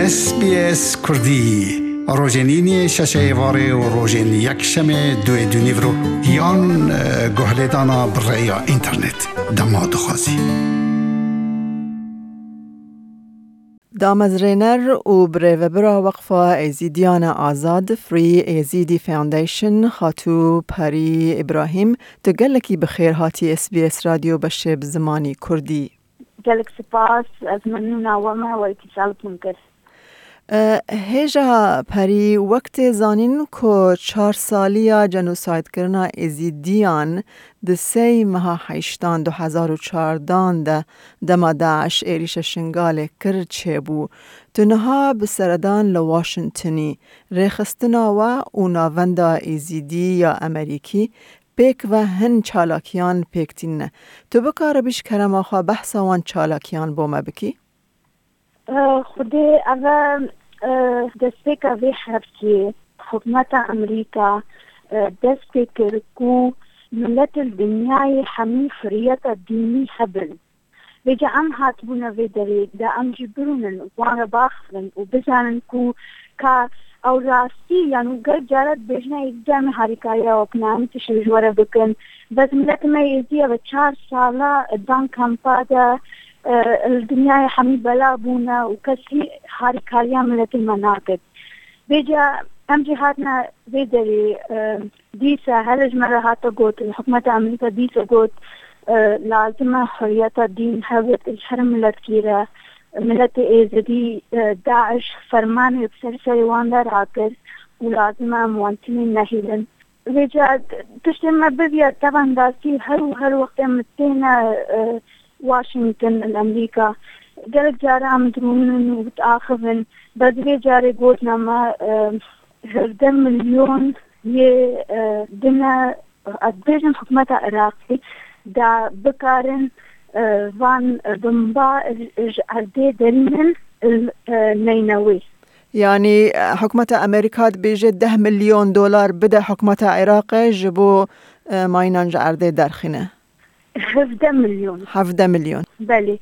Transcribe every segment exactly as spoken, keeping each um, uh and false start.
S B S Kurdî, rojên îniyê şeşê êvarê û rojên yekşemê duê dûnîvro yan, e, guhlêdana bi rêya înternet. Dema dixwazî. Damezrêner û birêvebira Weqfa Êzîdiyane Azad, Free Yazidi Foundation, Xatû Perî Îbrahîm, tu gelekî bi xêr hatî S B S Radyo beşê bi zimanî Kurdî. Gelek spas, ez memnûna we me, we îtîsal bûn kir. E, hêja Perî, wek tê zanîn ku çar saliya jenosaydkirina Êzîdiyan di sey meha heştan du hezar û çardan de dema DAIŞ êrîşa Şingalê kir çêbû. Tu niha bi seredan li Washingtonî. Rêxistina we û navenda Êzîdî ya Amerîkî pêk ve hin çalakiyan pêk tînine. Tu bikaribî ji kerema xwe behsa wan çalakiyan bo me bikî? Eh, Xwedê ev e, eh, destpêka vê heftê hikûmeta Amerîka, eh, dest pê kir ku miletên dinyayê hemî hurriyeta dînî hebin. Vêca em hatibûne vê derê de em jî birûnin, wan re baxivin û bizanin ku ka ew rastî, yan û gelek cara dibêjine êzîdiya me harîkariya we bikine, em tişt ji we re bikin. Bes miletê me êzîdiya ve çar sala dan kampa de, e, li dinyayê hemî bela bûne û kesî harîkariya miletê me nakir. Vêca em jî hatine vê derê, e, dîsa hele ji me re hate gotin, hikûmeta Amerîka dîsa got, e, lazim e hurriyeta dîn hebit ji her miletkî re. Miletê Êzidî, e, DAIŞ fermanê bi ser serê wan de rakir û lazim e em wan timî nehêlin. Vêca tiştê me biviya tevan rastî her û her wextê em têne, e, Washington li Amerîka. Gelek cara em dirûnin û diaxivin. Bes vê carê gotina me, e, hevdeh milyon yê, e, dine, ez dibêjim hikûmeta Iraqê da bikarin, e, van, e, bomba ji, ji erdê derînin, e, Neynewê. Yanî, e, hikûmeta Amerîka dibêje deh milyon dolar bide hikûmeta Iraqê ji bo, e, mayînan ji erdê derxîne. Hevdeh milyon. Hevdeh milyon. Belê.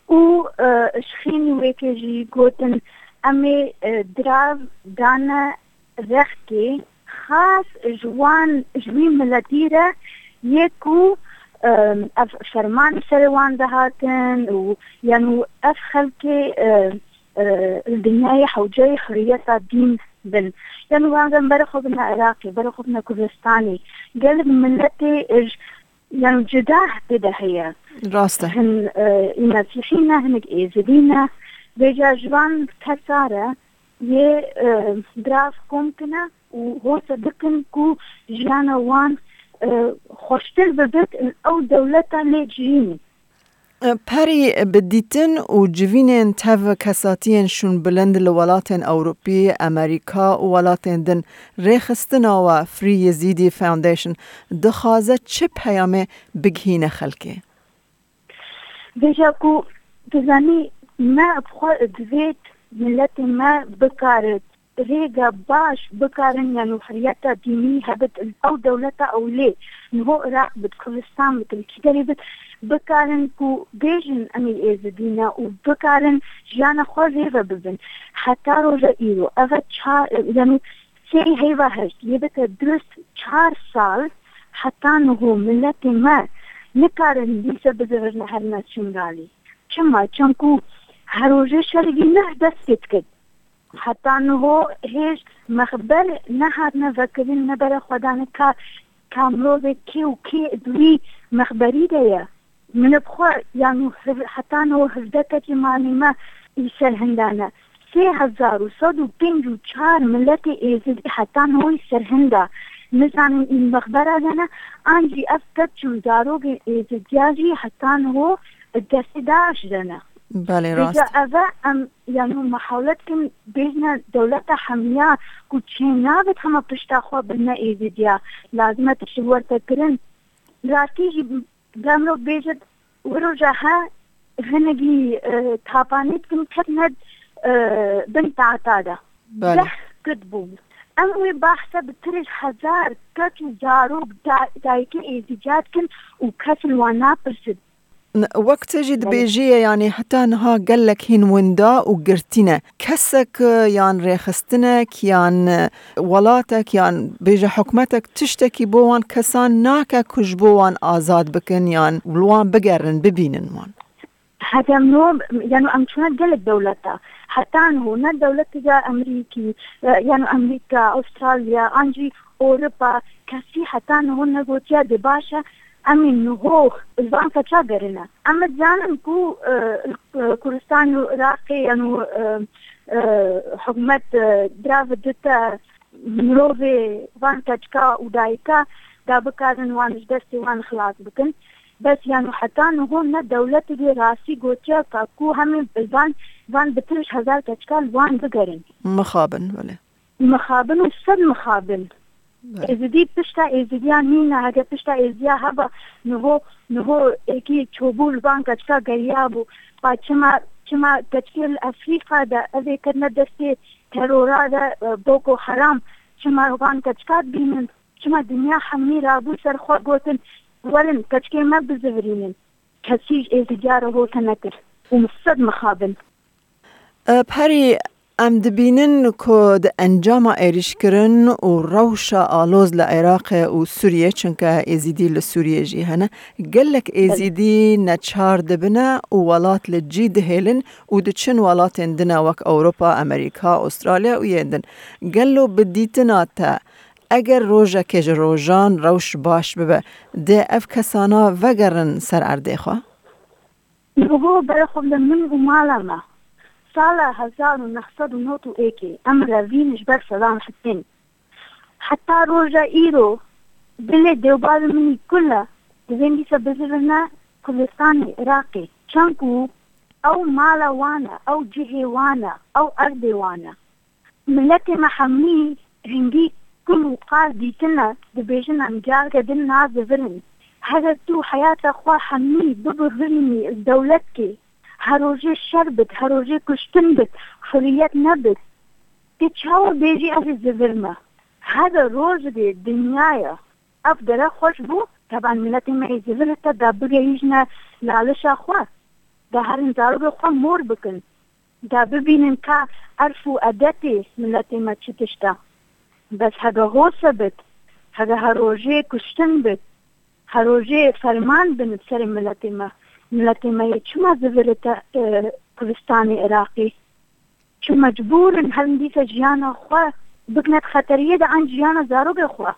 Û, e, ji xênî wêkê jî gotin, em ê, e, dirav dane rexkê xas ji wan, ji wî miletî re yê ku, e, ev ferman serê wan dihatin û, yan û ev xelkê, e, e, li dinyayê hewceyê hurriyeta dîn bin. Yan û wan re bere xwe bine Iraqê, bere xwe bine Kurdistanê. Gelek miletê, e, ji Yani cida tê de heye. Rast e. Hin, e, Mesîhî ne, hinek Êzidî ne. Vêca ji van kesa re yê, e, dirav kom kine û hose bikin ku jiyana wan, e, xweştir bibit, ew dewleta lê cihînî. Perî, bi dîtin û civînên tev kesatiyên şûnbilind li welatên Ewropî, Amerîka û welatên din, rêxistina we Free Yazidi Foundation dixwaze çi peyamê bigihîne xelkê? Vêca ku dizanî me bi xwe divêt miletê me bikarit rêga baş bikarin, yan û hurriyeta dînî hebit, ew dewleta ew lê niho Iraq bit, Kurdistan bit, li kî derê bit, bikarin ku bêjin em ê Êzidî ne û bikarin jiyana xwe rê ve bibin. Heta roja îro, ev e ça-, yan û sê heyva heşt, yê bite dirust çar sal, heta niho miletê me nikarin dîse bizivirine herîna Şingalê. Çima? Çimku her rojê şerî neh dest pê dikir. Heta niho hêj mexber nehatine vekirin, ne bere xwe dane ka, ka mirovê kê û kê di wî mexberî de ye. Min bi xwe, yan û hev-, heta niho hevdeh keçê malê me î ser hinda ne. Sê hezar û sed û pênc û çar miletê Êzidî heta niho î ser hinda. Nizanin î mexbera de ne, an jî ev keç û zarokên Êzidiya jî heta niho destê DAIŞ de ne. Belê, rast. Vêca ev e, em, yanî, mihawlet kin bêjine dewleta hemiya ku çê nabit hema pişta xwe bine Êzidiya. Lazim e tişt wertekirin. Rastî jî, demro bêjit, wiro ja he hinekî, e, tapanî dikin ketine, e, bin tahta de. Belê. Deh kit bûn. Em wê behsa bi tirêj hezar keç û zarok da-, dayikê Êzidiya dikin û kes li wan napirsin. N-, wek te jî dibêjî ye, yanî heta niha gelek hîn winda û girtî ne. Kesek, e, yan rêxistinek, yan, e, welatek, yan bêje hikûmetek tiştekî bo wan kesan nake ku ji bo wan azad bikin, yan li wan bigerin, bibînin wan. Heta niho, yanî em çûne gelek dewleta. Heta niho ne dewletê ya Amerîkî, e, yanî Amerîka, Astralya, an jî Ewropa, kesî heta niho negotiya dê baş e, em ê niho li van keça gerine. Em dizanin ku, e, li Kurdistanê û Iraqê, yanî, e, e, hikûmet, e, dirav dite mirovê van keçika û dayika da bikarin wan ji destê wan xilas bikin. Bes yanî heta niho ne dewletê dê rastî gotiya ka ku hemî van, van bi pênc hezar keçika li wan bigerin. Mixabin, belê. Mixabin û sed mixabin. Belê. Êzidî pişta Êzidiya nîne, heke pişta Êzidiya heba niho, niho êkî çobû li van keçika geriya bû. Pa çima, çima keçikê li Efrîka de ev ê ketine destê terora de, e, Boko Haram, çima van keçika dibînin? Çima dinya hemî rabû ser xwe gotin, werin keçikê me bizivirînin? Kesî ji Êzidiya re hote nekir. Û min sed mixabin. E, Perî, em dibînin ku di encama êrîşkirin û rewşa aloz li Iraqê û Sûriyê, çunke Êzîdî li Sûriyê jî hene, gelek Êzîdî neçar dibine û welat li cî dihêlin û diçin welatên din e wek Ewropa, Amerîka, Astralya û yên din. Gelo bi dîtina te, eger rojekê ji rojan rewş baş bibe, dê ev kesana vegerin ser erdê xwe? Niho bere xwe bide min û mala me. Sala hezar û neh sed û nod û êkê em revîn ji ber Sedam Hisên. Heta roja îro dilê dêwbavê min î kul e, divên dîsa bizivine Kurdistanê, Iraqê. Çend ku ew mala wan e, ew cihê wan e, ew erdê wan e. Miletê me hemî hingî kul û qal dîtine, dibêjin em careke din nazivirin. Heger tu heyata xwe hemî bibihirînî dewletkê, her rojê şer bit, her rojê kuştin bit, huriyet nebit, tu çawa bêjî ez ê zivirme? Heger rojekê dinyaya ev dere xweş bû, teban miletê me ê zivirite da bigihîjine lalişa xwe, da herin zarokê xwe mor bikin. Da bibînin ka erf û edetê miletê me çi tişt e. Bes hebe hose bit, hebe her rojê kuştin bit, her rojê ferman bin bi serê miletê me. Miletê me yê çima zivirite, e, Kurdistanê Iraqê? Çi mecbûr in herin dîsa jiyana xwe bikine di xeteriyê de an jiyana zarokê xwe?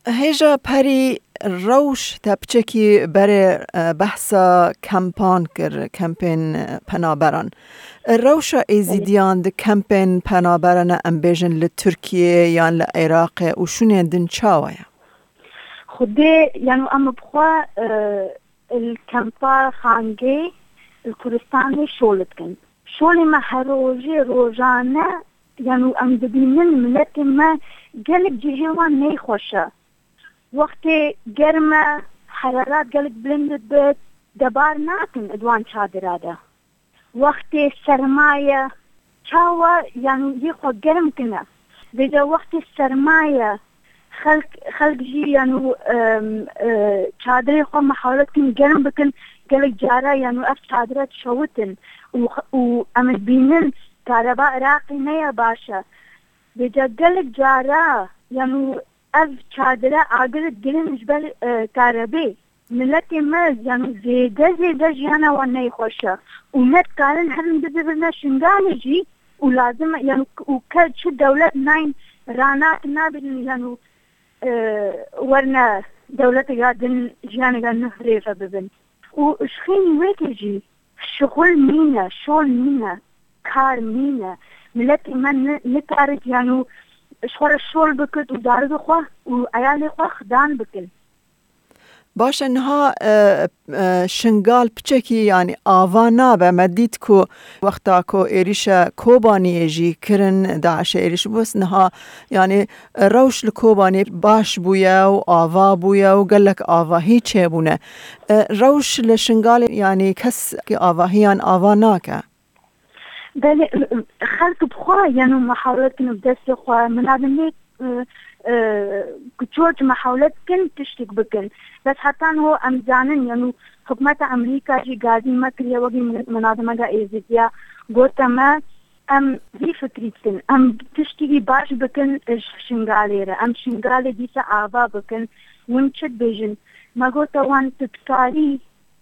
Hêja Perî, rewş te piçekî berê, e, behsa kempan kir, kempên, e, penaberan. Rewşa Êzîdiyan di kempên penaberan, em bêjin li Tirkiyê yan li Iraqê û şûnên din çawa ye? Xwedê, yanî em bi xwe, e, li kempa Xangê, li Kurdistanê şol dikin. Şolê me her rojê rojane, yanî em dibînin miletê me gelek cihê wan neyxweş e. Wextê germ e, herarat gelek bilind dibe, de bar nakin di wan çadira de. Wextê serma ye, çawa, yanî yê xwe germ kine. Vêca wextê serma ye, xelk, xelk jî, yanî, em, e, çadirê xwe mihawlet kin germ bikin, gelek cara, yanî, ev çadira dişewitin û, û em dibînin kareba Iraqê ne ya baş e. Vêca gelek cara, yanî, ev çadire agir digirin ji ber, e, karebê. Miletê me, yanî, zêde zêde jiyana wan neyxweş e û ne dikarin herin bibirine Şingalê jî û lazim e, yanî, û ke çi dewlet nayên ranak nabin, yanî, e, werine dewleteka din jiyaneka nuh rê ve bibin. Û ji xênî wê ke jî şixul nîne, şol nîne, kar nîne. Miletê me ni-, nikarit, yanî, ji xwe re şol bikit û zarokê xwe û eyalê xwe xidan bikin. Baş e, niha, e, e, Şingal piçekî, yanî, ava nabe. Me dît ku wexta ku êrîşe Kobaniyê jî kirin, DAIŞê êrîş bû, niha, yanî, rewş li Kobaniyê baş bûye û ava bûye û gelek avahî çêbûne. E, rewş li Şingalê, yanî, kes avahiyan ava nake. Belê, xelk bi xwe, yanî, mihawlet kirin bi destê xwe. Min nabin lê, e, e, ku çort mehewlet kin tiştik bikin. Bes heta niho em zanin, yanû hikûmeta Amerîka jî gazî me kiriye wekî min-, minadimeka Êzidiya, gote me, em vî fikrî dikin, em tiştikî baş bikin ji Şingalê re, em Şingalê dîsa ava bikin, win çi dibêjin? Me gote wan, tu dikarî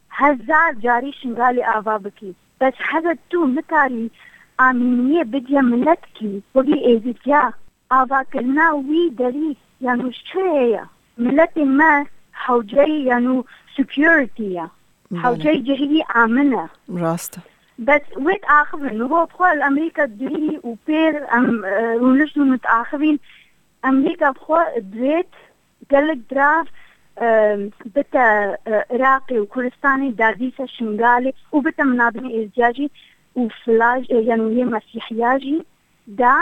hezar carî Şingalê ava bikî. Bes hebe tu nikarî amîniyê bidye miletkî, wekî Êzidiya, avakirina wî derî, yanû çi heye? Miletê me hewceyî, yanû security ye. Belê. Hewceyî cihî amin e. Rast e. Bes wê diaxivin. Niho bi xwe li Amerîka dihî û pêr em, e, rûnişt û nitaxivîn. Amerîka bi xwe divêt gelek dirav, e, bite, e, Iraqê û Kurdistanê, da dîsa Şingalê û bite minadimê Êzidiya jî û filaj, e, yanî yê Mesîhiya jî, da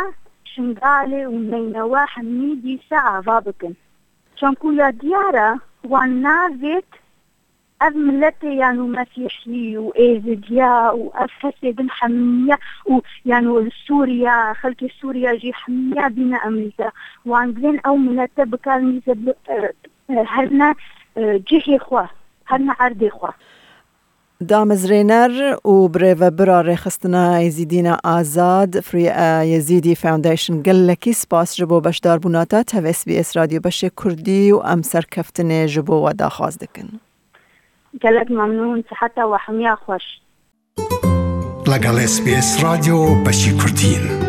Şingalê û Neynewe hemî dîsa ava bikin. Çanku ya diyar e, wan navêt ev miletê, yanî Mesîhî û Êzidiya û ev kesê din hemiya û, yanî li Sûriya, xelkê Sûriya jî hemiya bîne Amerîka. Wan divên ew milete bikarin dîsa bi, e, e, herine, e, cihê xwe, herine erdê xwe. Damezrêner û birêvebira Rêxistina Êzîdîna Azad, Free, e, Yazidi Foundation, gelekî spas ji bo beşdarbûna te tev S B S Radyo Beşê Kurdî û em serkeftinê ji bo we daxwaz dikin. Gelek memnûn, siheta we hemiya xweş. لەگەڵ S B S رادیۆ بەشی کوردین.